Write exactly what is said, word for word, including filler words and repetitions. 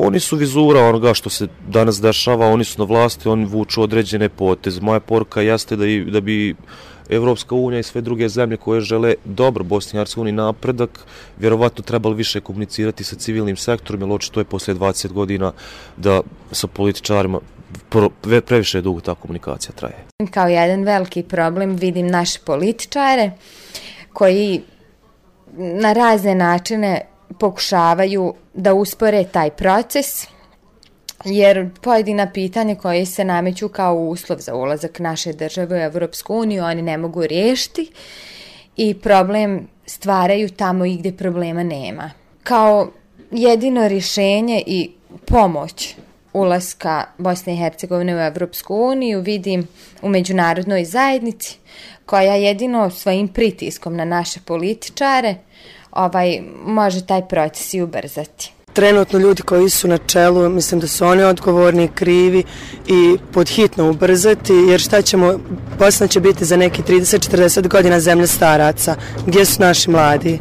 oni su vizura onoga što se danas dešava, oni su na vlasti, oni vuču određene poteze. Moja poruka jeste da, i, da bi Evropska unija i sve druge zemlje koje žele dobro Bosni i Hercegovini napredak, vjerovatno trebali više komunicirati sa civilnim sektorom, jer očito je poslije dvadeset godina da sa političarima previše dugo ta komunikacija traje. Kao jedan veliki problem vidim naše političare koji na razne načine pokušavaju da uspore taj proces, jer pojedina pitanja koje se nameću kao uslov za ulazak naše države u Evropsku uniju oni ne mogu riješiti i problem stvaraju tamo i gdje problema nema. Kao jedino rješenje i pomoć ulaska Bosne i Hercegovine u Evropsku uniju vidim u međunarodnoj zajednici koja jedino svojim pritiskom na naše političare ovaj, može taj proces i ubrzati. Trenutno ljudi koji su na čelu, mislim da su oni odgovorni i krivi i podhitno ubrzati, jer šta ćemo, Bosna će biti za neki trideset četrdeset godina zemlja staraca, gdje su naši mladi?